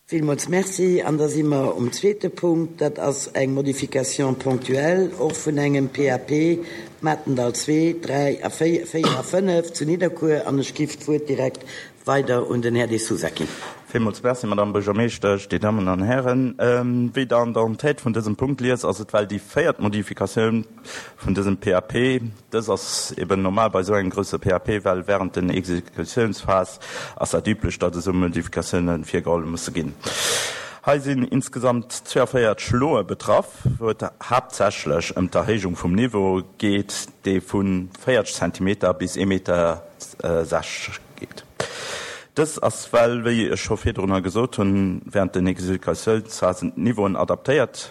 Villmools Merci. An da si mer um zweete Punkt. Dat ass eng Modification ponctuelle och vun engem PAP, Matendall 2, 3 a 4, 4 a 5 zu Nidderkuer. An ech giff d'Wuert direkt weider un den Här De Sousa ginn. Villmools Merci, Madamm Buergermeeschtesch, Dir Dammen an Hären. Wéi Der an der Entête vun dësem Punkt liest, ass et well déi véiert Modifikatioun vun dësem PAP. Dës ass eben normal bei esou engem grousse PAP, well während den Exekutiounsphase ass dat üblech, datt esou Modifikatioune virgeholl musse ginn. Hei sinn insgesamt 42 Loe betraff, wou et haaptsächlech ëm d'Erhéijung vum Niveau geet, dee vu 40 Zentimeter bis ee Meter 60 geet. Dës ass well, wéi ech scho virdrunner gesot hunn, während den Exekutiounsphasen d'Niveauen adaptéiert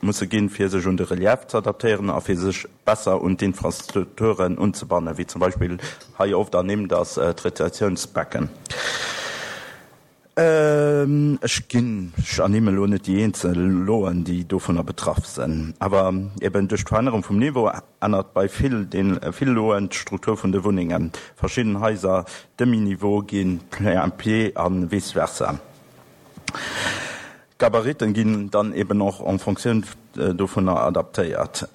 musse ginn, fir sech un de Relief ze adaptéieren a fir sech besser un d'Infrastrukturen unzebannen, wéi zum Beispill hei oft ernimmt ass d'Retentiounsbecken. Ech ginn, ech ernimmen elo net déi eenzel Loen, déi dovunner betraff sinn, awer eben duerch d'Verännerung vum Niveau ännert bei vill den vill Loen d'Struktur vun de Wunnengen. Verschidden Haiser Demi-niveau gi plein-pied a vice versa. D'Gabariten ginn dann eben och en Fonctioun dovunner adaptéiert.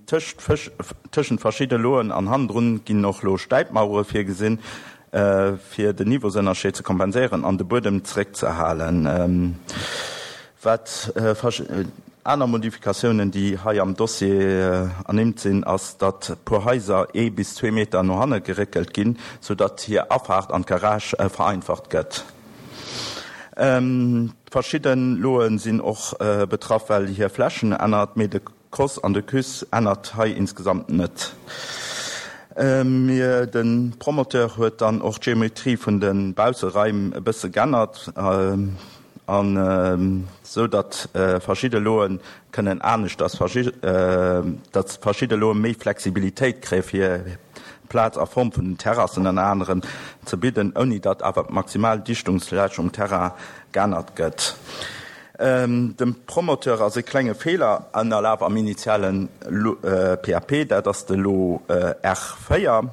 Tëschent verschidde Loen an hannendrun ginn och lo Stäipmauere virgesinn, fir den Niveausënnerscheed ze kompenséieren an de Buedem zeréckzehalen. Wat aner Modifikatiounen, déi hei am Dossier ernimmt sinn, ass, datt puer Haiser ee bis zwee Meter no hanne geréckelt ginn, soudatt hir Afaart an d'Garage vereinfacht gëtt. Verschidden Loen sinn och betraff well hir Flächen ännert, mee de Cos an de Cus ännert hei insgesamt net. De Promoteur huet dann och d'Geometrie vun de Bausseraim e bësse g'ännert an sou datt verschidde Loen kënnen aneschters, datt verschidde Loe méi Flexibilitéit kréie fir Plaz a Form vun den Terrassen ënner anerem ze bidden, ouni datt awer d'maximal Dichtungsfläch um Terrain geännert gëtt. Dem Promoteur ass e klenge Feeler ënnerlaf am initiale PAP, dat ass de Lot R4,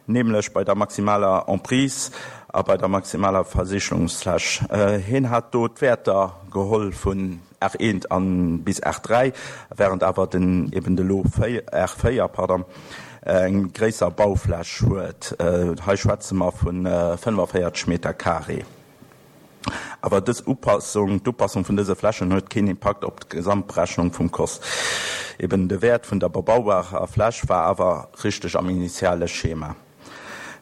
nämlech bei der maximaler Emprise a bei der maximaler Versichelungsfläch. Hien hat do d'Wäerter geholl vun R1 an bis R3, während awer den eben de Lot R4, pardon, eng gréisser Baufläch huet. Hei schwätze mer vu 45 Meter carré. Awer dës Upassung, d'Upassung vun dëse Flächen huet keen Impakt op d'Gesamtberechnung vum Kost. Eben de Wäert vun der bebaubarer Fläch war awer richteg am initiale Schema.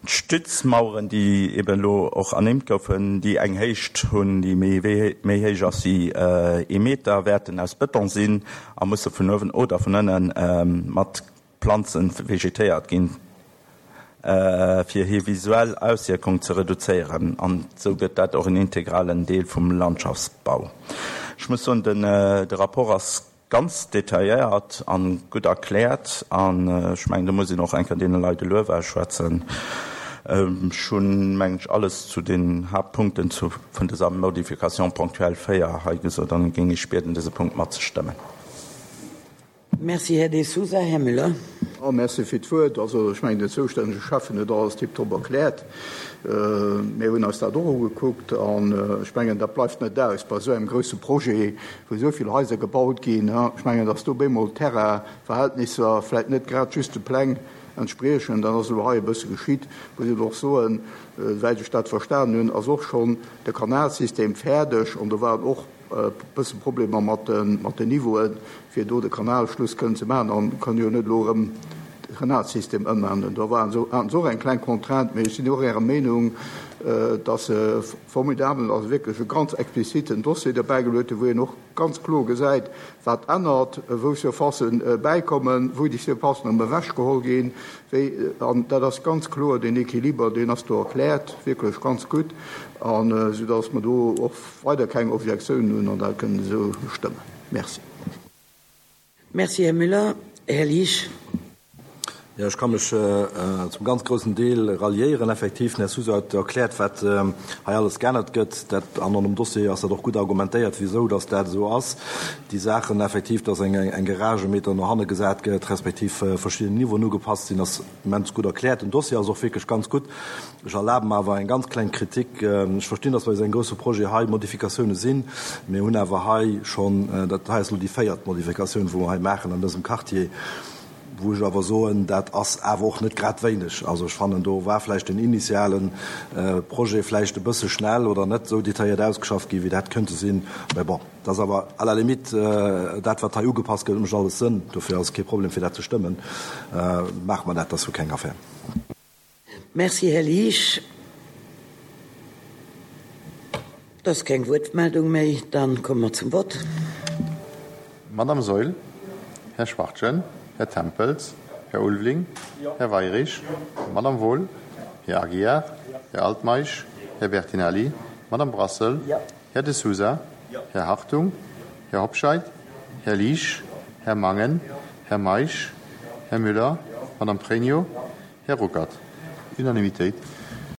D'Stützmaueren, déi eben elo och ernimmt goufen, déi eng Héicht hunn, déi méi méi héich ass wéi ee Meter, wäerten aus Bëton sinn a musse vun uewen oder vun ënne mat Planze vegetéiert ginn, fir hir visuell Auswierkung ze reduzéieren. An esou gëtt dat och en integralen Deel vum Landschaftsbau. Ech muss soen, den de Rapport ass Ganz detailléiert an gutt erkläert an ech mengen do muss een och eng Kéier deene Leit e Luef ausschwätzen. Ech hunn, mengen ech, alles zu den Haaptpunkten zu vun dëser Modification ponctuelle 4 hei gesot an géing Iech bieden dëse Punkt matzestëmmen. Merci, Här De Sousa. Här Müller. Jo, merci fir d'Wuert. Also ech mengen, den zoustännege Schäffen huet alles tiptop erkläert. Mir hunn eis dat och ugekuckt an ech mengen, dat bleift net aus bei esou engem grousse Projet, wou esou vill Haiser gebaut ginn. Ech mengen, datt do bemol d'Terrainverhältnisser vläicht net grad just de Pläng entspriechen. Dat ass elo hei e bësse geschitt. Muss een och soen, esouwäit ech dat verstanen hunn, ass och schonn de Kanalsystem fäerdeg an do waren och e bësse Problemer mat den Niveauen, fir do de Kanalschluss kënnen ze maachen an kann jo net elo erëm de Kanalsystem ëmänneren. Do waren se, haten se och eng kleng Contrainte, mee ech sinn och Ärer Meenung, dass se formidabel, also wierklech e ganz expliziten Dossier derbäigeluet hunn, wou een och ganz kloer gesäit, wat ännert, wou Surfacen bäikommen, wou déi Surfacen erëm ewechgeholl ginn, wéi, an dat ass ganz kloer, deen Equiliber, deen ass do erkläert, wierklech ganz gutt, an soudass mer do och weider keng Objektiounen hunn an dat kënnen esou stëmmen. Merci. Merci, Här Müller. Här Liesch. Jo, ech ka mech zum ganz groussen Deel ralliéieren. Effektiv, den Här Sousa huet erkläert, wat hei alles geännert gëtt. Dat, an an dem Dossier ass dat och gutt argumentéiert, wisou dass dat esou ass. Déi Saachen effektiv, dass eng eng Garage e Meter no hanne gesat gëtt, respektiv verschidden Niveauen ugepasst sinn, ass immens gutt erkläert. Den Dossier ass och wierklech ganz gutt. Ech erlabe mer awer eng ganz kleng Kritik. Ech verstinn, dass bei esou engem grousse Projet hei Modifikatioune sinn. Mir hunn awer hei schonn, dat hei ass elo déi véiert Modifikatioun, wou mer hei maachen an dësem Quartier, wou ech awer soen, dat ass awer och net grad wéineg. Also ech fannen, do war vläicht den initiale Projet vläicht e bësse schnell oder net esou detailléiert ausgeschafft ginn, wéi dat hätt kënnte sinn. Mä bon, dat ass awer à la limite dat, wat hei ugepasst gëtt, mécht alles Sënn. Dofir ass et kee Problem, fir dat ze stëmmen. Maache mer dat, dat ass jo keng Affär. Merci, Här Liesch. Et ass keng Wuertmeldung méi. Dann komme mer zum Vott. Madame Saeul, Här Schwachtgen, Här Tempels, Här Ulveling, Här Weirich, Madame Wohl, Här Aguiar, Här Altmeisch, Här Bertinelli, Madame Brassel, Här De Sousa, Här Hartung, Här Hobscheit, Här Liesch, Här Mangen, Här Meisch, Här Müller, Madame Pregno, Här Ruckert. Unanimitéit.